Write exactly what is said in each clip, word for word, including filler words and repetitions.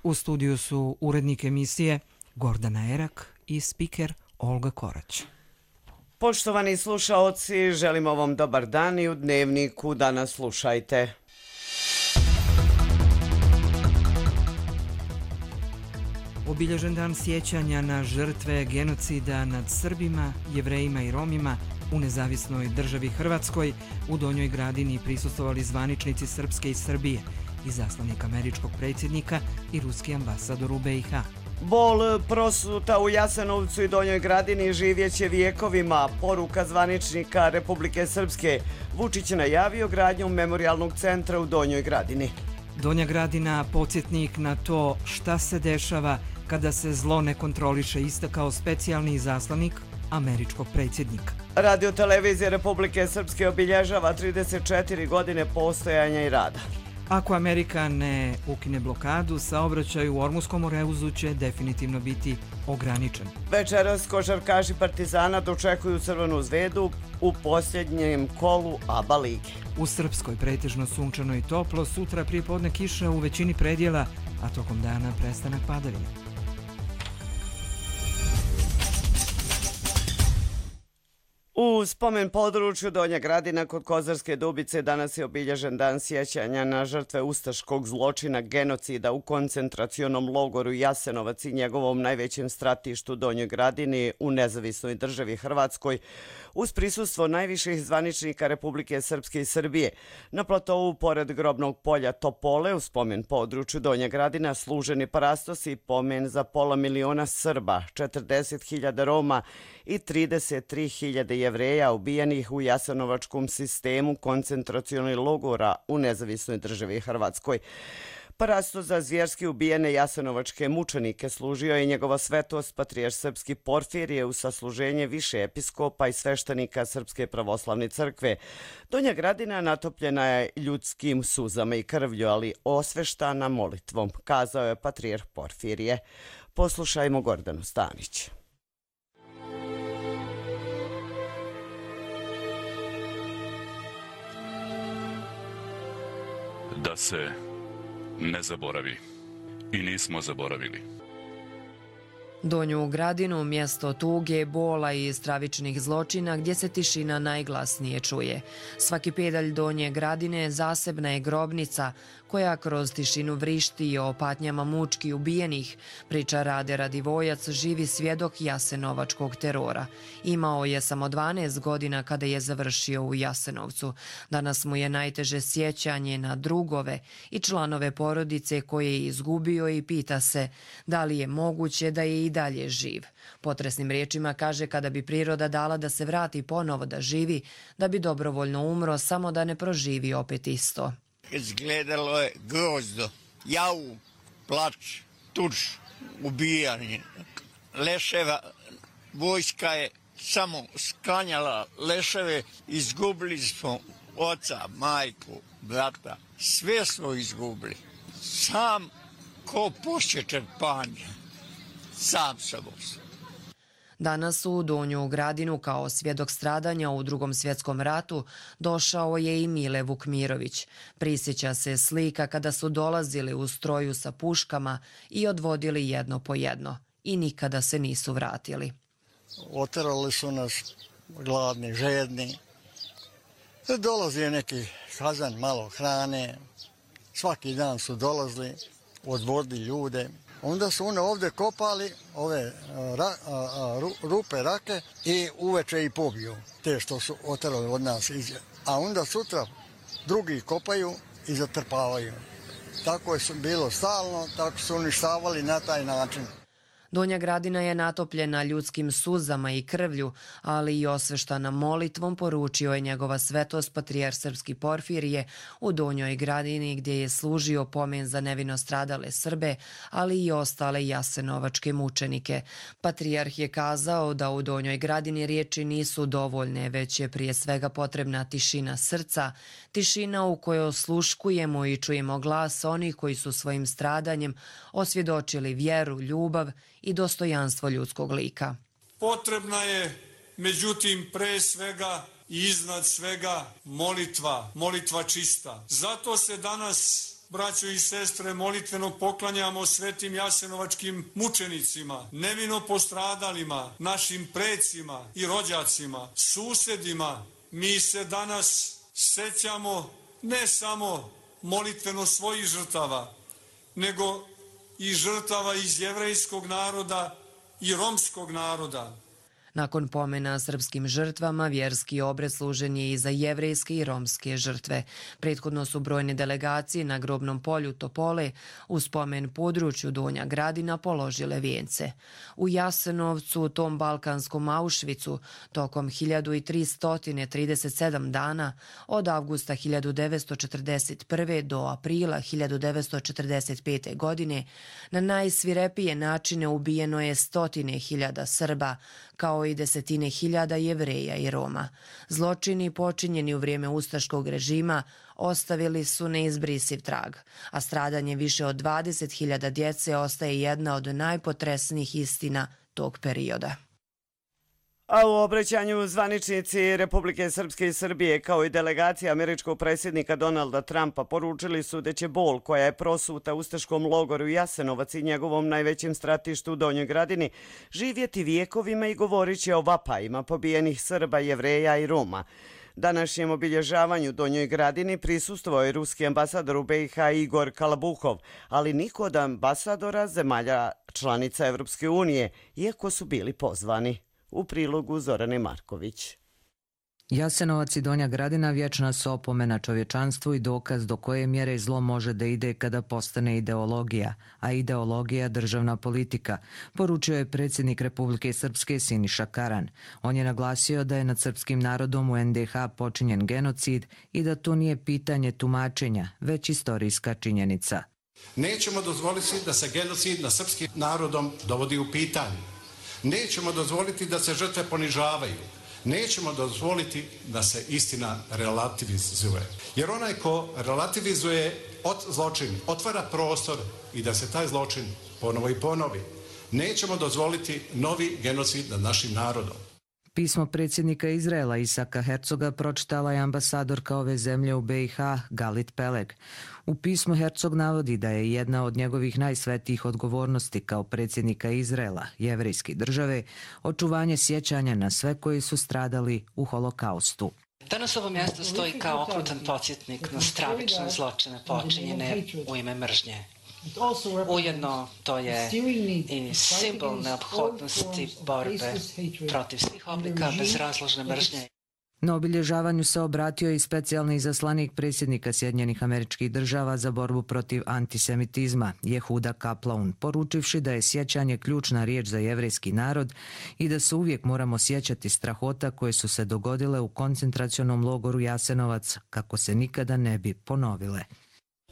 U studiju su urednik emisije Gordana Erak i spiker Olga Korać. Poštovani slušaoci, želimo vam dobar dan i u Dnevniku danas slušajte. Obilježen dan sjećanja na žrtve genocida nad Srbima, Jevrejima i Romima u nezavisnoj državi Hrvatskoj. U Donjoj Gradini prisustvovali zvaničnici Srpske i Srbije, izaslanik američkog predsjednika i ruski ambasador u be i ha. Bol prosuta u Jasenovcu i Donjoj Gradini živjeće vijekovima. Poruka zvaničnika Republike Srpske. Vučić je najavio gradnju memorijalnog centra u Donjoj Gradini. Donja Gradina podsjetnik na to šta se dešava kada se zlo ne kontroliše, istakao specijalni izaslanik američkog predsjednika. Radio-televizija Republike Srpske obilježava trideset četiri godine postojanja i rada. Ako Amerika ne ukine blokadu, saobraćaj u Ormuškom Moreuzu će definitivno biti ograničen. Večeras košarkaši Partizana dočekuju Crvenu Zvezdu u posljednjem kolu A B A lige. U Srpskoj pretežno sunčano i toplo, sutra prije podne kiša u većini predjela, a tokom dana prestanak padavina. U spomen području Donja Gradina kod Kozarske Dubice danas je obilježen dan sjećanja na žrtve ustaškog zločina genocida u koncentracionom logoru Jasenovac i njegovom najvećem stratištu Donjoj Gradini u nezavisnoj državi Hrvatskoj uz prisustvo najviših zvaničnika Republike Srpske i Srbije. Na platovu pored grobnog polja Topole u spomen području Donja Gradina služeni parastos i pomen za pola miliona Srba, četrdeset hiljada Roma i trideset tri hiljade Jevreja ubijenih u jasenovačkom sistemu koncentracionih logora u nezavisnoj državi Hrvatskoj. Parastos za zvjerski ubijene jasenovačke mučenike služio je njegova svetost patrijarh srpski Porfirije u sasluženje više episkopa i sveštenika Srpske pravoslavne crkve. Donja Gradina natopljena je ljudskim suzama i krvlju, ali osveštana molitvom, kazao je patrijarh Porfirije. Poslušajmo Gordanu Stanić. Da se ne zaboravi. I nismo zaboravili. Donju Gradinu, mjesto tuge, bola i stravičnih zločina gdje se tišina najglasnije čuje. Svaki pedalj Donje Gradine zasebna je grobnica koja kroz tišinu vrišti o patnjama mučki ubijenih, priča Rade Radivojac, živi svjedok jasenovačkog terora. Imao je samo dvanaest godina kada je završio u Jasenovcu. Danas mu je najteže sjećanje na drugove i članove porodice koje je izgubio i pita se da li je moguće da je i dalje živ. Potresnim riječima kaže kada bi priroda dala da se vrati ponovo da živi, da bi dobrovoljno umro samo da ne proživi opet isto. Izgledalo je grozno, javu, plač, tuč, ubijanje, leševa, vojska je samo sklanjala leševe, izgubili smo oca, majku, brata, sve smo izgubili, sam ko posjećen panje, sam sam osam. Danas u Donju Gradinu kao svjedok stradanja u Drugom svjetskom ratu došao je i Mile Vukmirović. Prisjeća se slika kada su dolazili u stroju sa puškama i odvodili jedno po jedno i nikada se nisu vratili. Oterali su nas gladni, žedni. Dolazi neki kazan, malo hrane. Svaki dan su dolazili, odvodili ljude. Onda su one ovdje kopali ove ra, a, a, rupe, rake i uveče i pobiju te što su oterali od nas. A onda sutra drugi kopaju i zatrpavaju. Tako je bilo stalno, tako su uništavali na taj način. Donja Gradina je natopljena ljudskim suzama i krvlju, ali i osveštana molitvom, poručio je njegova svetost patrijarh srpski Porfirije u Donjoj Gradini gdje je služio pomen za nevino stradale Srbe, ali i ostale jasenovačke mučenike. Patrijarh je kazao da u Donjoj Gradini riječi nisu dovoljne, već je prije svega potrebna tišina srca, tišina u kojoj osluškujemo i čujemo glas onih koji su svojim stradanjem osvjedočili vjeru, ljubav i dostojanstvo ljudskog lika. Potrebna je, međutim, pre svega i iznad svega molitva, molitva čista. Zato se danas braćo i sestre, molitveno poklanjamo svetim jasenovačkim mučenicima, nevino postradalima, našim precima i rođacima, susedima. Mi se danas sećamo ne samo molitveno svojih žrtava, nego i žrtava iz jevrejskog naroda i romskog naroda. Nakon pomena srpskim žrtvama, vjerski obred služen je i za jevrejske i romske žrtve. Prethodno su brojne delegacije na grobnom polju Topole u spomen području Donja Gradina položile vijence. U Jasenovcu, tom balkanskom Auschwitzu, tokom hiljadu tristo trideset sedam dana, od avgusta hiljadu devetsto četrdeset prve. do aprila hiljadu devetsto četrdeset pete. godine, na najsvirepije načine ubijeno je stotine hiljada Srba, kao i desetine hiljada Jevreja i Roma. Zločini počinjeni u vrijeme ustaškog režima ostavili su neizbrisiv trag, a stradanje više od dvadeset hiljada djece ostaje jedna od najpotresnijih istina tog perioda. A u obraćanju zvaničnici Republike Srpske i Srbije kao i delegacija američkog predsjednika Donalda Trumpa poručili su da će bol koja je prosuta ustaškom logoru Jasenovac i njegovom najvećem stratištu u Donjoj Gradini živjeti vijekovima i govorit će o vapajima pobijenih Srba, Jevreja i Roma. Današnjem obilježavanju Donjoj Gradini prisustvovao je ruski ambasador u be i ha Igor Kalabuhov, ali niko od ambasadora zemalja članica Evropske unije, iako su bili pozvani. U prilogu Zorane Marković. Jasenovac i Donja Gradina vječna su opomena čovječanstvu i dokaz do koje mjere zlo može da ide kada postane ideologija, a ideologija državna politika, poručio je predsjednik Republike Srpske Siniša Karan. On je naglasio da je nad srpskim narodom u en de ha počinjen genocid i da to nije pitanje tumačenja, već istorijska činjenica. Nećemo dozvoliti da se genocid nad srpskim narodom dovodi u pitanje. Nećemo dozvoliti da se žrtve ponižavaju. Nećemo dozvoliti da se istina relativizuje. Jer onaj ko relativizuje od zločin, otvara prostor i da se taj zločin ponovo i ponovi. Nećemo dozvoliti novi genocid nad našim narodom. Pismo predsjednika Izraela Isaka Hercoga pročitala je ambasadorka ove zemlje u be i ha Galit Peleg. U pismu Hercog navodi da je jedna od njegovih najsvetijih odgovornosti kao predsjednika Izraela, jevrejske države, očuvanje sjećanja na sve koji su stradali u holokaustu. Danas ovo mjesto stoji kao okrutan podsjetnik na stravične zločine počinjene u ime mržnje. Ujedno to je i simbol neophodnosti borbe protiv svih oblika bezrazložne mržnje. Na obilježavanju se obratio i specijalni izaslanik predsjednika Sjedinjenih Američkih Država za borbu protiv antisemitizma, Jehuda Kaplan, poručivši da je sjećanje ključna riječ za jevrejski narod i da se uvijek moramo sjećati strahota koje su se dogodile u koncentracionom logoru Jasenovac kako se nikada ne bi ponovile.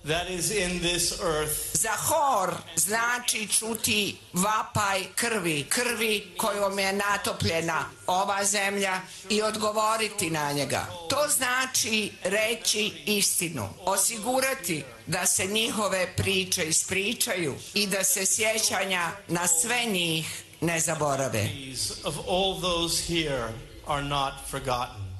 That is in this earth. Zahor znači čuti vapaj krvi, krvi kojom je natopljena ova zemlja i odgovoriti na njega. To znači reći istinu, osigurati da se njihove priče ispričaju i da se sjećanja na sve njih ne zaborave. Of all those here are not forgotten.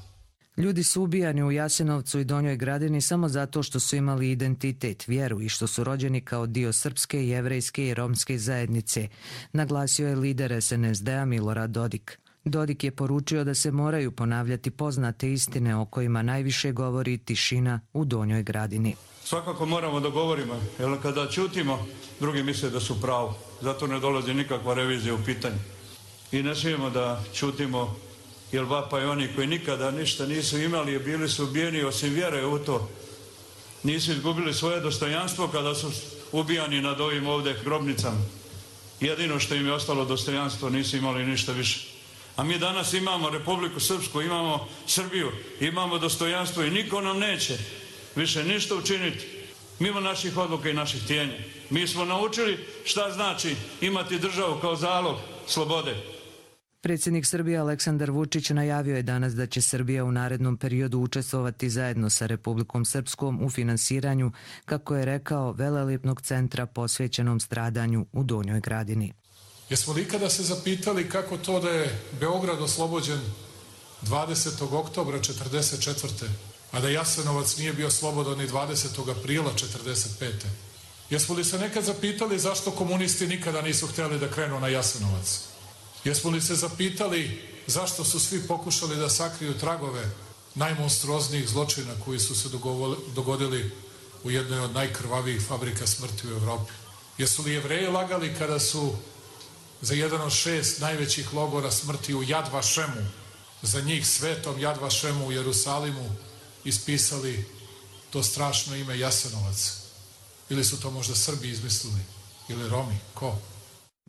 Ljudi su ubijani u Jasenovcu i Donjoj Gradini samo zato što su imali identitet, vjeru i što su rođeni kao dio srpske, jevrejske i romske zajednice, naglasio je lider es en es de a Milorad Dodik. Dodik je poručio da se moraju ponavljati poznate istine o kojima najviše govori tišina u Donjoj Gradini. Svakako moramo da govorimo, jer kada ćutimo, drugi misle da su pravo. Zato ne dolazi nikakva revizija u pitanje. I ne smijemo da ćutimo, jer vapaj oni koji nikada ništa nisu imali i bili su ubijeni osim vjere u to. Nisu izgubili svoje dostojanstvo kada su ubijani nad ovim ovdje grobnicama. Jedino što im je ostalo dostojanstvo, nisu imali ništa više. A mi danas imamo Republiku Srpsku, imamo Srbiju, imamo dostojanstvo i niko nam neće više ništa učiniti mimo naših odluka i naših htjenja. Mi smo naučili šta znači imati državu kao zalog slobode. Predsjednik Srbije Aleksandar Vučić najavio je danas da će Srbija u narednom periodu učestvovati zajedno sa Republikom Srpskom u finansiranju, kako je rekao, velelepnog centra posvećenom stradanju u Donjoj Gradini. Jesmo li ikada se zapitali kako to da je Beograd oslobođen dvadesetog oktobra četrdeset četvrte a da Jasenovac nije bio slobodan ni dvadesetog aprila četrdeset pete. Jesmo li se nekad zapitali zašto komunisti nikada nisu htjeli da krenu na Jasenovac? Jesmo li se zapitali zašto su svi pokušali da sakriju tragove najmonstruoznijih zločina koji su se dogodili u jednoj od najkrvavijih fabrika smrti u Evropi? Jesu li Jevreji lagali kada su za jedan od šest najvećih logora smrti u Jad Vašemu, za njih svetom Jad Vašemu u Jerusalimu, ispisali to strašno ime Jasenovac? Ili su to možda Srbi izmislili? Ili Romi? Ko?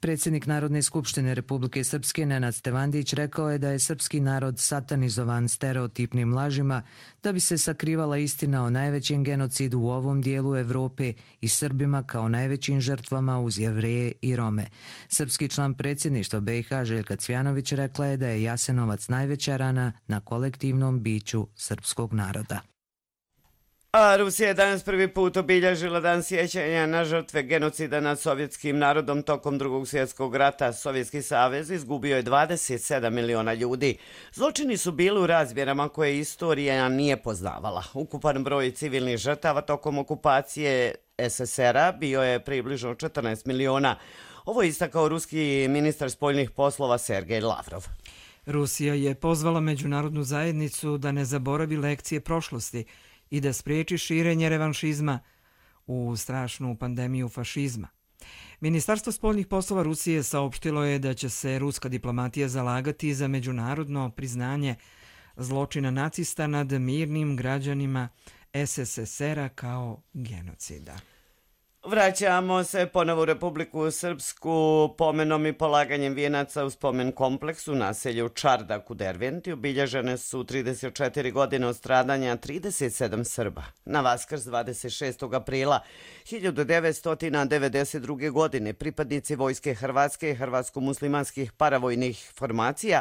Predsjednik Narodne skupštine Republike Srpske Nenad Stevandić rekao je da je srpski narod satanizovan stereotipnim lažima da bi se sakrivala istina o najvećem genocidu u ovom dijelu Evrope i Srbima kao najvećim žrtvama uz Jevreje i Rome. Srpski član predsjedništva B i H Željka Cvjanović rekla je da je Jasenovac najveća rana na kolektivnom biću srpskog naroda. A Rusija je danas prvi put obilježila dan sjećanja na žrtve genocida nad sovjetskim narodom tokom drugog svjetskog rata. Sovjetski savez izgubio je dvadeset sedam miliona ljudi. Zločini su bili u razmjerama koje istorija nije poznavala. Ukupan broj civilnih žrtava tokom okupacije S S R a bio je približno četrnaest miliona. Ovo je istakao ruski ministar spoljnih poslova Sergej Lavrov. Rusija je pozvala međunarodnu zajednicu da ne zaboravi lekcije prošlosti i da spriječi širenje revanšizma u strašnu pandemiju fašizma. Ministarstvo spoljnih poslova Rusije saopštilo je da će se ruska diplomatija zalagati za međunarodno priznanje zločina nacista nad mirnim građanima S S S R a kao genocida. Vraćamo se ponovo u Republiku Srpsku. Pomenom i polaganjem vijenaca u spomen kompleksu naselju Čardak u Derventi obilježene su trideset četiri godine od stradanja trideset sedam Srba. Na Vaskrs dvadeset šestog aprila hiljadu devetsto devedeset druge. godine pripadnici Vojske Hrvatske i hrvatsko-muslimanskih paravojnih formacija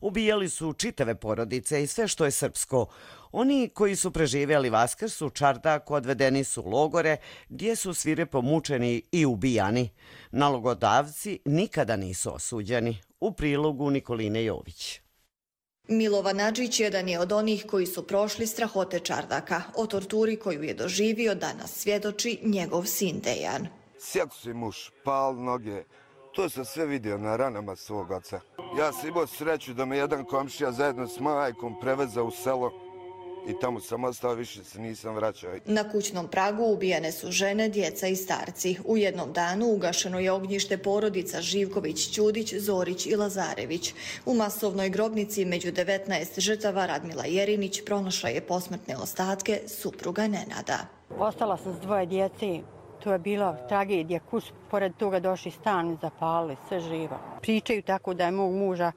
ubijali su čitave porodice i sve što je srpsko. Oni koji su preživjeli Vaskrs u Čardaku odvedeni su u logore gdje su svirepo mučeni i ubijani. Nalogodavci nikada nisu osuđeni. U prilogu Nikoline Jović. Milovan Adžić jedan je od onih koji su prošli strahote Čardaka. O torturi koju je doživio danas svjedoči njegov sin Dejan. Sjatu si muž, pal noge. To sam sve vidio na ranama svog oca. Ja sam imao sreću da me jedan komšija zajedno s majkom preveza u selo i tamo sam ostao, više se nisam vraćao. Na kućnom pragu ubijene su žene, djeca i starci. U jednom danu ugašeno je ognjište porodica Živković, Ćudić, Zorić i Lazarević. U masovnoj grobnici među devetnaest žrtava Radmila Jerinić pronašla je posmrtne ostatke supruga Nenada. Ostala sam s dvoje djeci. To je bila tragedija. Kus pored toga došli stan i zapalili, sve živo. Pričaju tako da je mog muža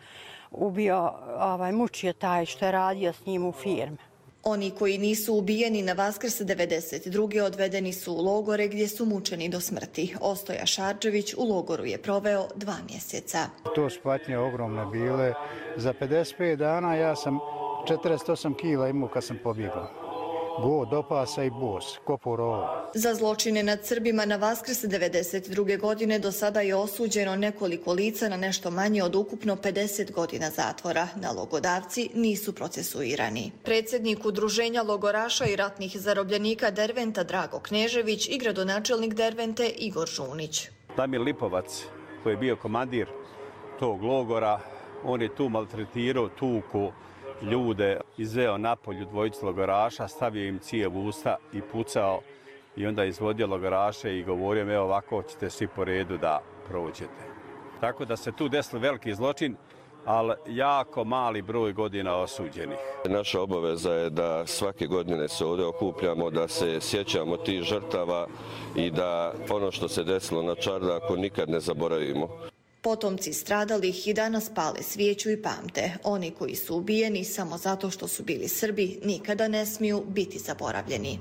ubio, ovaj, mučio taj što je radio s njim u firme. Oni koji nisu ubijeni na Vaskrs devedeset druge. odvedeni su u logore gdje su mučeni do smrti. Ostoja Šarčević u logoru je proveo dva mjeseca. To su patnje ogromne bile. Za pedeset pet dana ja sam četrdeset osam kila imao kad sam pobjegao. Go, do pasa i bos, ko po rovu. Za zločine nad Srbima na Vaskrs devedeset druge. godine do sada je osuđeno nekoliko lica na nešto manje od ukupno pedeset godina zatvora. Nalogodavci nisu procesuirani. Predsjednik Udruženja logoraša i ratnih zarobljenika Derventa Drago Knežević i gradonačelnik Dervente Igor Žunić. Damir Lipovac, koji je bio komandir tog logora, on je tu maltretirao, tuku ljude, izveo napolju dvojicu logoraša, stavio im cijev u usta i pucao i onda izvodio logoraše i govorio, evo ovako ćete svi po redu da prođete. Tako da se tu desilo veliki zločin, ali jako mali broj godina osuđenih. Naša obaveza je da svake godine se ovdje okupljamo, da se sjećamo tih žrtava i da ono što se desilo na Čardaku nikad ne zaboravimo. Potomci stradalih i danas pale svijeću i pamte. Oni koji su ubijeni samo zato što su bili Srbi nikada ne smiju biti zaboravljeni.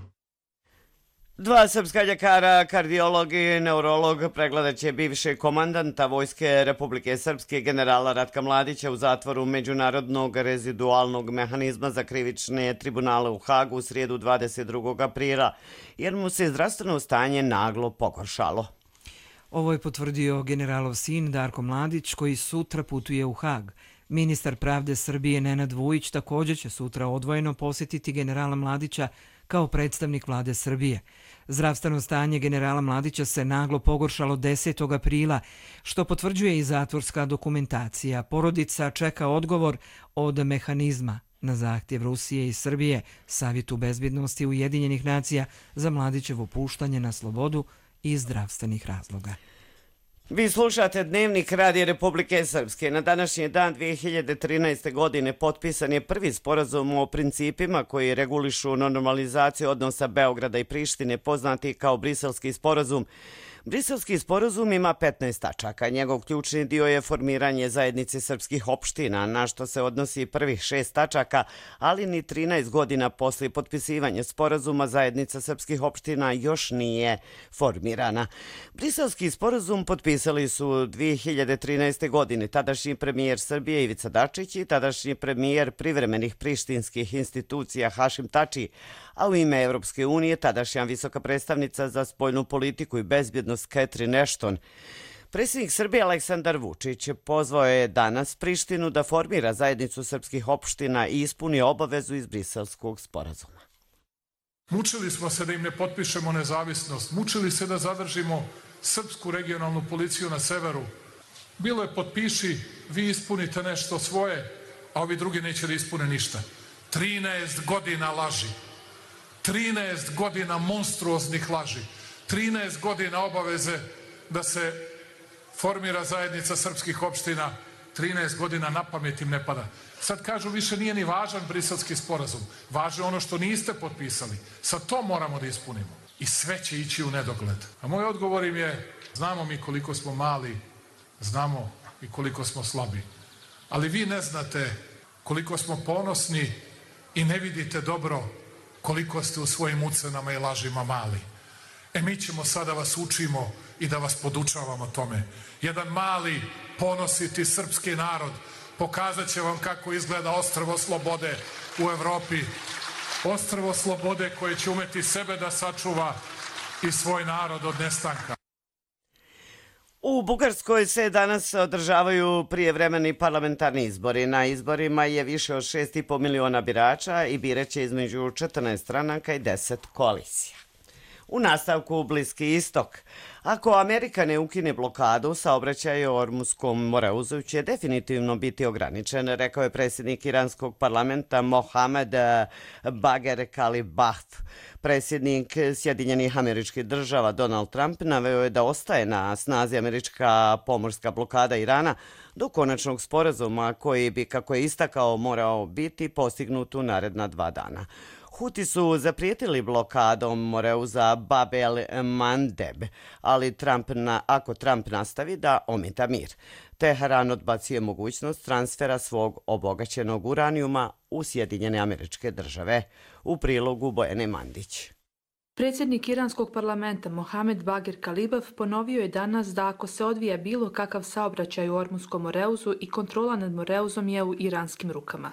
Dva srpska ljekara, kardiolog i neurolog pregledat će bivšeg komandanta Vojske Republike Srpske generala Ratka Mladića u zatvoru Međunarodnog rezidualnog mehanizma za krivične tribunale u Hagu u srijedu dvadeset drugog aprila, jer mu se zdravstveno stanje naglo pogoršalo. Ovo je potvrdio generalov sin Darko Mladić koji sutra putuje u Hag. Ministar pravde Srbije Nenad Vujić također će sutra odvojeno posjetiti generala Mladića kao predstavnik vlade Srbije. Zdravstveno stanje generala Mladića se naglo pogoršalo desetog aprila, što potvrđuje i zatvorska dokumentacija. Porodica čeka odgovor od mehanizma na zahtjev Rusije i Srbije Savjetu bezbjednosti Ujedinjenih nacija za Mladićevo puštanje na slobodu iz zdravstvenih razloga. Vi slušate Dnevnik Radija Republike Srpske. Na današnji dan dvije hiljade trinaeste. godine potpisan je prvi sporazum o principima koji regulišu normalizaciju odnosa Beograda i Prištine, poznati kao Briselski sporazum. Briselski sporazum ima petnaest tačaka. Njegov ključni dio je formiranje zajednice srpskih opština, na što se odnosi prvih šest tačaka, ali ni trinaest godina poslije potpisivanja sporazuma zajednica srpskih opština još nije formirana. Briselski sporazum potpisali su dvije hiljade trinaeste. godine tadašnji premijer Srbije Ivica Dačić i tadašnji premijer privremenih prištinskih institucija Hašim Tači, a u ime Evropske unije tadašnja visoka predstavnica za spoljnu politiku i bezbjednost Catherine Ashton. Predsjednik Srbije Aleksandar Vučić pozvao je danas Prištinu da formira zajednicu srpskih opština i ispuni obavezu iz Briselskog sporazuma. Mučili smo se da im ne potpišemo nezavisnost, mučili se da zadržimo srpsku regionalnu policiju na severu. Bilo je potpiši, vi ispunite nešto svoje, a ovi drugi neće da ispune ništa. trinaest godina laži. trinaest godina monstruoznih laži, trinaest godina obaveze da se formira zajednica srpskih opština, trinaest godina na pamet im ne pada. Sad kažu više nije ni važan Briselski sporazum, važe ono što niste potpisali. Sad to moramo da ispunimo i sve će ići u nedogled. A moj odgovor im je, znamo mi koliko smo mali, znamo i koliko smo slabi, ali vi ne znate koliko smo ponosni i ne vidite dobro koliko ste u svojim ucenama i lažima mali. E mi ćemo sada vas učimo i da vas podučavamo tome. Jedan mali, ponositi srpski narod pokazat će vam kako izgleda ostrvo slobode u Evropi. Ostrvo slobode koje će umeti sebe da sačuva i svoj narod od nestanka. U Bugarskoj se danas održavaju prijevremeni parlamentarni izbori. Na izborima je više od šest i po miliona birača i biraće između četrnaest stranaka i deset koalicija. U nastavku Bliski istok. Ako Amerika ne ukine blokadu, saobraćaj o Ormuskom moreuzu će definitivno biti ograničen, rekao je predsjednik iranskog parlamenta Mohamed Bagher Kalibaf. Predsjednik Sjedinjenih Američkih Država Donald Trump naveo je da ostaje na snazi američka pomorska blokada Irana do konačnog sporazuma koji bi, kako je istakao, morao biti postignut u naredna dva dana. Huti su zaprijetili blokadom moreuza Bab el Mandeb, ali Trump na, ako Trump nastavi da ometa mir. Teheran odbacuje mogućnost transfera svog obogaćenog uranijuma u Sjedinjene Američke Države. U prilogu Bojane Mandić. Predsjednik iranskog parlamenta Mohamed Bagher Kalibaf ponovio je danas da ako se odvija bilo kakav saobraćaj u Ormunskom moreuzu i kontrola nad moreuzom je u iranskim rukama.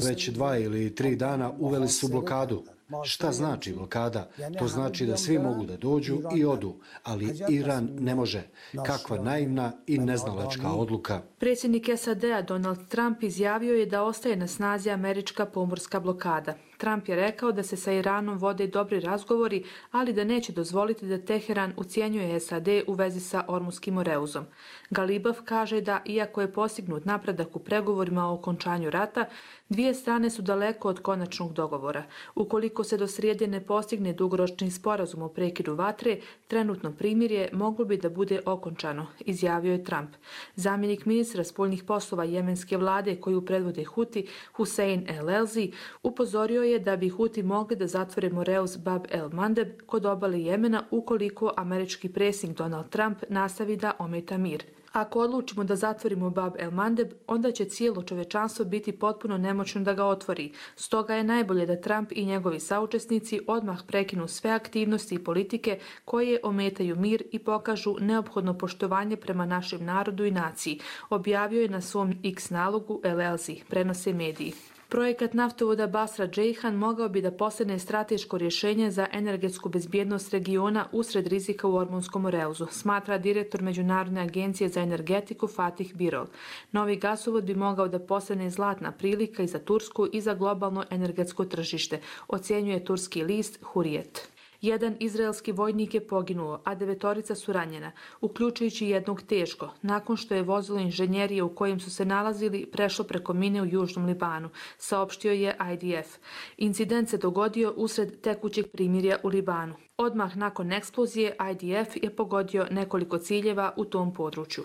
Već dva ili tri dana uveli su blokadu. Šta znači blokada? To znači da svi mogu da dođu i odu, ali Iran ne može. Kakva naivna i neznalačka odluka. Predsjednik S A D-a Donald Trump izjavio je da ostaje na snazi američka pomorska blokada. Trump je rekao da se sa Iranom vode dobri razgovori, ali da neće dozvoliti da Teheran ucijenjuje S A D u vezi sa Ormunskim moreuzom. Galibaf kaže da, iako je postignut napredak u pregovorima o okončanju rata, dvije strane su daleko od konačnog dogovora. Ukoliko se do srijede ne postigne dugoročni sporazum o prekidu vatre, trenutno primirje moglo bi da bude okončano, izjavio je Trump. Zamjenik ministra spoljnih poslova jemenske vlade koju predvode Huti, Hussein El Elzi, upozorio je da bi Huti mogli da zatvore moreuz Bab el Mandeb kod obale Jemena ukoliko američki predsjednik Donald Trump nastavi da ometa mir. Ako odlučimo da zatvorimo Bab el Mandeb, onda će cijelo čovečanstvo biti potpuno nemoćno da ga otvori. Stoga je najbolje da Trump i njegovi saučesnici odmah prekinu sve aktivnosti i politike koje ometaju mir i pokažu neophodno poštovanje prema našem narodu i naciji, objavio je na svom X nalogu El Elzi, prenose mediji. Projekat naftovoda Basra-Džejhan mogao bi da postane strateško rješenje za energetsku bezbjednost regiona usred rizika u Ormunskom Oreuzu, smatra direktor Međunarodne agencije za energetiku Fatih Birol. Novi gasovod bi mogao da postane zlatna prilika i za Tursku i za globalno energetsko tržište, ocjenjuje turski list Hurijet. Jedan izraelski vojnik je poginuo, a devetorica su ranjena, uključujući jednog teško, nakon što je vozilo inženjerije u kojem su se nalazili prešlo preko mine u Južnom Libanu, saopštio je I D F. Incident se dogodio usred tekućeg primirja u Libanu. Odmah nakon eksplozije I D F je pogodio nekoliko ciljeva u tom području.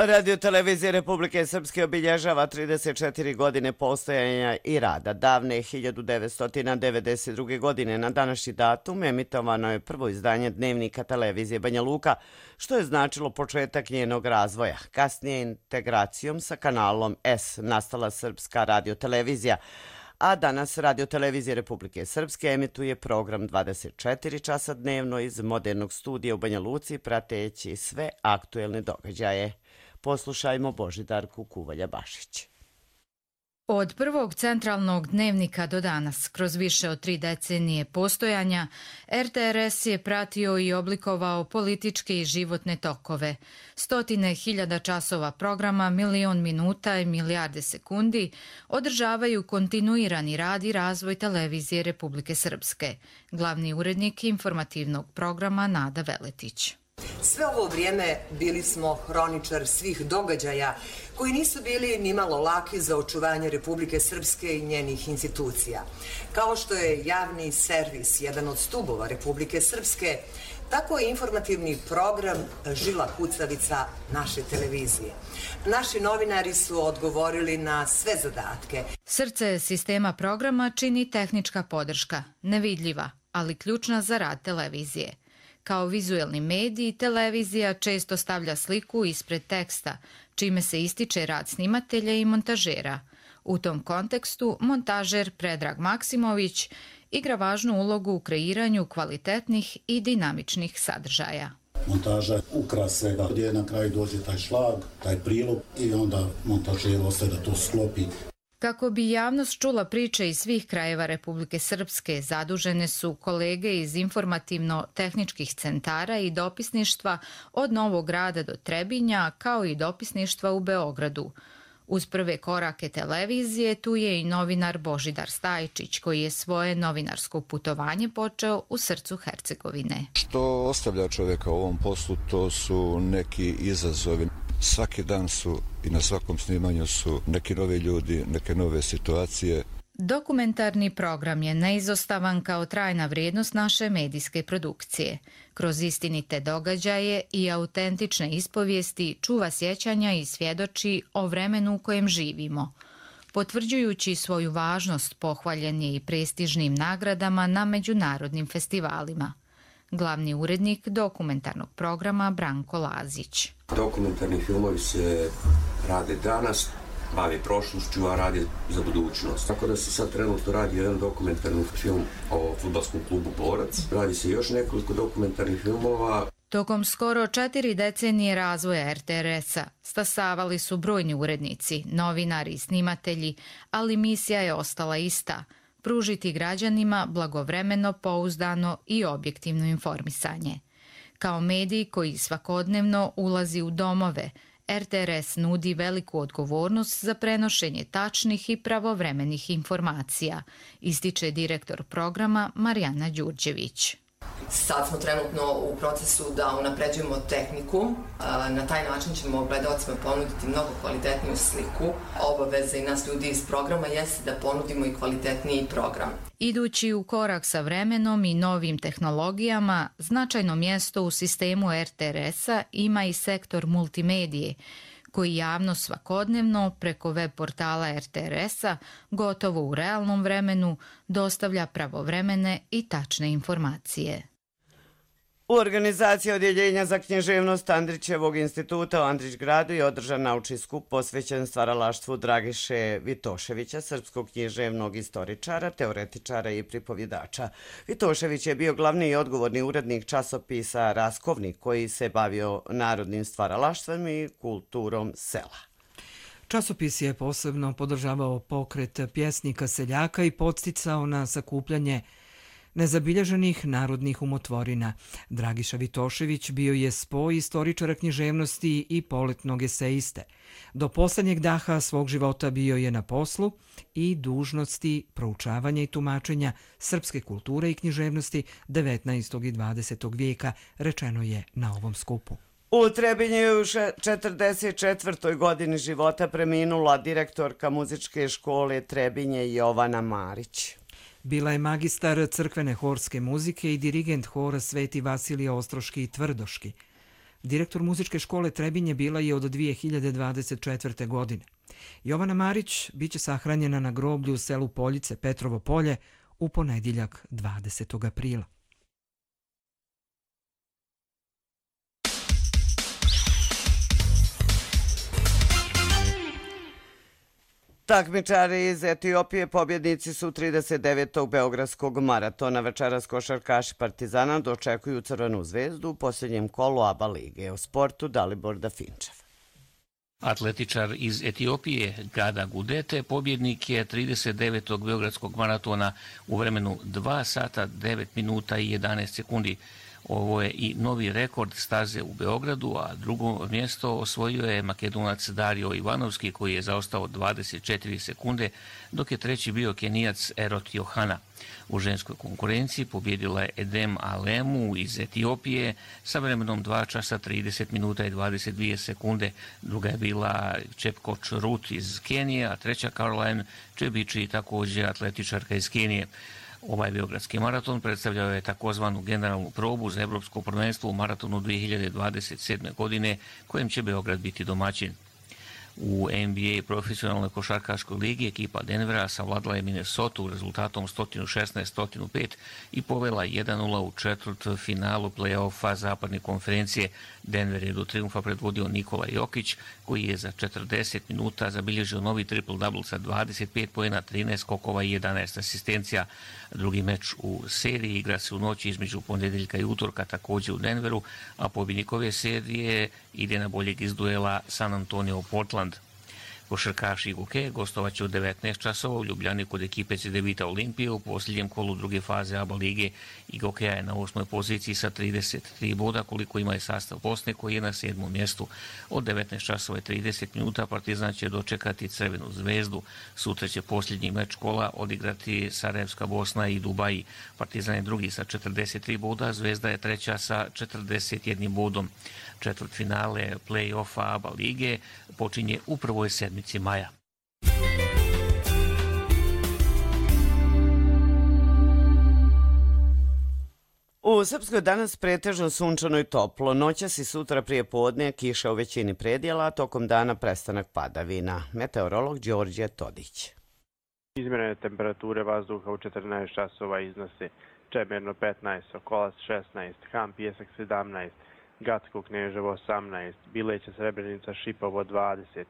Radio televizija Republike Srpske obilježava trideset četiri godine postojanja i rada. Davne hiljadu devetsto devedeset druge. godine na današnji datum emitovano je prvo izdanje dnevnika televizije Banja Luka, što je značilo početak njenog razvoja. Kasnije integracijom sa kanalom S nastala Srpska radiotelevizija, a danas Radio televizija Republike Srpske emituje program dvadeset četiri časa dnevno iz modernog studija u Banja Luci, prateći sve aktuelne događaje. Poslušajmo Božidarku Kuvalja-Bašić. Od prvog centralnog dnevnika do danas, kroz više od tri decenije postojanja, R T R S je pratio i oblikovao političke i životne tokove. Stotine hiljada časova programa, milion minuta i milijarde sekundi održavaju kontinuirani rad i razvoj televizije Republike Srpske. Glavni urednik informativnog programa Nada Veletić. Sve ovo vrijeme bili smo hroničar svih događaja koji nisu bili nimalo laki za očuvanje Republike Srpske i njenih institucija. Kao što je javni servis jedan od stubova Republike Srpske, tako je informativni program žila kucavica naše televizije. Naši novinari su odgovorili na sve zadatke. Srce sistema programa čini tehnička podrška, nevidljiva, ali ključna za rad televizije. Kao vizuelni medij, televizija često stavlja sliku ispred teksta, čime se ističe rad snimatelja i montažera. U tom kontekstu montažer Predrag Maksimović igra važnu ulogu u kreiranju kvalitetnih i dinamičnih sadržaja. Montaža ukras svega, gdje na kraju dođe taj šlag, taj prilog i onda montažer ostaje da to sklopi. Kako bi javnost čula priče iz svih krajeva Republike Srpske, zadužene su kolege iz informativno-tehničkih centara i dopisništva od Novog Grada do Trebinja, kao i dopisništva u Beogradu. Uz prve korake televizije tu je i novinar Božidar Stajčić, koji je svoje novinarsko putovanje počeo u srcu Hercegovine. Što ostavlja čovjeka u ovom poslu, to su neki izazovi. Svaki dan su i na svakom snimanju su neki novi ljudi, neke nove situacije. Dokumentarni program je neizostavan kao trajna vrijednost naše medijske produkcije. Kroz istinite događaje i autentične ispovijesti čuva sjećanja i svjedoči o vremenu u kojem živimo. Potvrđujući svoju važnost, pohvaljen je i prestižnim nagradama na međunarodnim festivalima. Glavni urednik dokumentarnog programa Branko Lazić. Dokumentarni filmovi se rade danas, bavi prošlošću, a radi za budućnost. Tako da se sad trenutno radi jedan dokumentarni film o fudbalskom klubu Borac. Radi se još nekoliko dokumentarnih filmova. Tokom skoro četiri decenije razvoja R T R S-a stasavali su brojni urednici, novinari i snimatelji, ali misija je ostala ista – pružiti građanima blagovremeno, pouzdano i objektivno informisanje. Kao medij koji svakodnevno ulazi u domove, R T R S nudi veliku odgovornost za prenošenje tačnih i pravovremenih informacija, ističe direktor programa Marijana Đurđević. Sad smo trenutno u procesu da unapređujemo tehniku. Na taj način ćemo gledalcima ponuditi mnogo kvalitetniju sliku. Obaveza i nas ljudi iz programa jeste da ponudimo i kvalitetniji program. Idući u korak sa vremenom i novim tehnologijama, značajno mjesto u sistemu R T R S-a ima i sektor multimedije, koji javno svakodnevno preko web portala R T R S-a gotovo u realnom vremenu dostavlja pravovremene i tačne informacije. U organizaciji Odjeljenja za književnost Andrićevog instituta u Andrićgradu je održan naučni skup posvećen stvaralaštvu Dragiše Vitoševića, srpskog književnog istoričara, teoretičara i pripovjedača. Vitošević je bio glavni i odgovorni urednik časopisa Raskovnik, koji se bavio narodnim stvaralaštvom i kulturom sela. Časopis je posebno podržavao pokret pjesnika seljaka i podsticao na sakupljanje nezabilježenih narodnih umotvorina. Dragiša Vitošević bio je spoj istoričara književnosti i poletnog eseiste. Do posljednjeg daha svog života bio je na poslu i dužnosti proučavanja i tumačenja srpske kulture i književnosti devetnaestog i dvadesetog vijeka, rečeno je na ovom skupu. U Trebinju je u četrdeset četvrtoj godini života preminula direktorka muzičke škole Trebinje Jovana Marić. Bila je magistar crkvene horske muzike i dirigent hora Sveti Vasilije Ostroški i Tvrdoški. Direktor muzičke škole Trebinje bila je od dvije hiljade dvadeset četvrte. godine. Jovana Marić biće sahranjena na groblju u selu Poljice, Petrovo polje, u ponedjeljak dvadesetog aprila. Takmičari iz Etiopije pobjednici su trideset devetog beogradskog maratona. Večeras košarkaši Partizana dočekuju Crvenu zvezdu u posljednjem kolu A B A lige. O sportu Dalibor Dafinčev. Atletičar iz Etiopije Gada Gudete pobjednik je trideset devetog beogradskog maratona u vremenu dva sata devet minuta i jedanaest sekundi. Ovo je i novi rekord staze u Beogradu, a drugo mjesto osvojio je Makedonac Dario Ivanovski koji je zaostao dvadeset četiri sekunde, dok je treći bio Kenijac Erot Johana. U ženskoj konkurenciji pobjedila je Edem Alemu iz Etiopije sa vremenom dva časa trideset minuta i dvadeset dvije sekunde. Druga je bila Čepkoč Rut iz Kenije, a treća Caroline Čebići, također atletičarka iz Kenije. Ovaj beogradski maraton predstavljao je takozvanu generalnu probu za evropsko prvenstvo u maratonu dvije hiljade dvadeset sedme. godine, kojem će Beograd biti domaćin. U N B A profesionalnoj košarkaškoj ligi ekipa Denvera savladala je Minnesota rezultatom sto šesnaest naspram pet i povela jedan nula u četvrtfinalu play-offa zapadne konferencije. Denver je do triumfa predvodio Nikola Jokić, koji je za četrdeset minuta zabilježio novi triple-double sa dvadeset pet poena, trinaest skokova i jedanaest asistencija. Drugi meč u seriji igra se u noći između ponedjeljka i utorka, također u Denveru, a pobjednik ove serije ide na boljeg iz duela San Antonio Portland. Košarkaši Goke gostovaće u devetnaest časova u Ljubljani kod ekipe Cedevita Olimpije u posljednjem kolu druge faze A B A lige. I Gokeja je na osmoj poziciji sa trideset tri boda, koliko ima je sastav Bosne koji je na sedmom mjestu. Od devetnaest časova i trideset minuta Partizan će dočekati Crvenu zvezdu. Sutra će posljednji meč kola odigrati Sarajevska Bosna i Dubaji. Partizan je drugi sa četrdeset tri boda, Zvezda je treća sa četrdeset jednim bodom. Četvrtfinale play-offa A B A lige počinje u prvoj sedmici maja. U Srpskoj danas pretežno sunčano i toplo. Noćas i sutra prije podne kiša u većini predjela, a tokom dana prestanak padavina. Meteorolog Đorđe Todić. Izmjerene temperature vazduha u četrnaest časova iznose Čemerno petnaest, Sokolac šesnaest, Ham Pjesak sedamnaest, Gatsko Kneževo osamnaest, Bileća Srebrenica Šipovo dvadeset,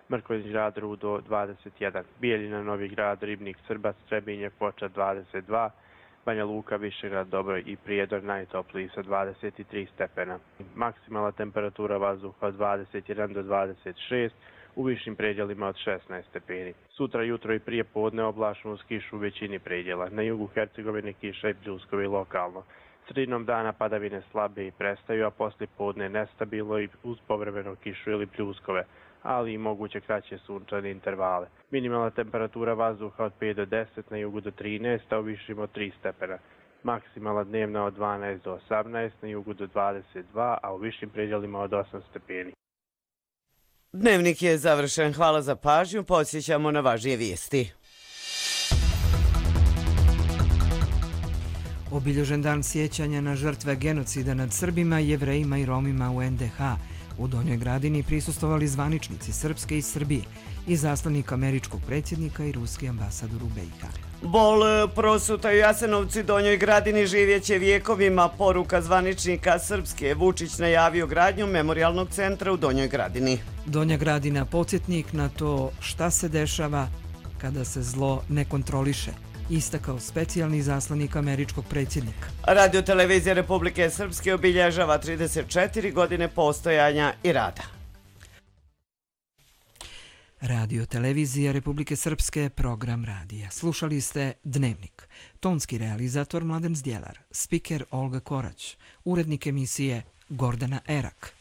Mrkonjić Grad Rudo dvadeset jedan, Bijeljina Novi Grad Ribnik Srbac Trebinje Foča dvadeset dva, Banja Luka Višegrad Dobroj i Prijedor najtopliji sa dvadeset tri stepena. Maksimalna temperatura vazduha od dvadeset jedan do dvadeset šest, u višim predjelima od šesnaest stepeni. Sutra jutro i prije podne oblačno uz kišu u većini predjela. Na jugu Hercegovine kiša i pljuskovi lokalno. Sredinom dana padavine slabe i prestaju, a poslije podne nestabilno i uz povremeno kišu ili pljuskove, ali i moguće kraće sunčane intervale. Minimalna temperatura vazduha od pet do deset, na jugu do trinaest, a u višim od tri stepena. Maksimalna dnevna od dvanaest do osamnaest, na jugu do dvadeset dva, a u višim predjelima od osam stepeni. Dnevnik je završen. Hvala za pažnju. Podsjećamo na važnije vijesti. Obilježen dan sjećanja na žrtve genocida nad Srbima, Jevrejima i Romima u N D H. U Donjoj Gradini prisustvovali zvaničnici Srpske i Srbije, izaslanik američkog predsjednika i ruski ambasador u B i H. Bol prosuta u Jasenovcu i Donjoj Gradini živjeće vijekovima. Poruka zvaničnika Srpske. Vučić najavio gradnju memorijalnog centra u Donjoj Gradini. Donja Gradina podsjetnik na to šta se dešava kada se zlo ne kontroliše, istakao specijalni izaslanik američkog predsjednika. Radio televizija Republike Srpske obilježava trideset četiri godine postojanja i rada. Radio televizija Republike Srpske, program radija. Slušali ste Dnevnik. Tonski realizator Mladen Zdjelar, spiker Olga Korać, urednik emisije Gordana Erak.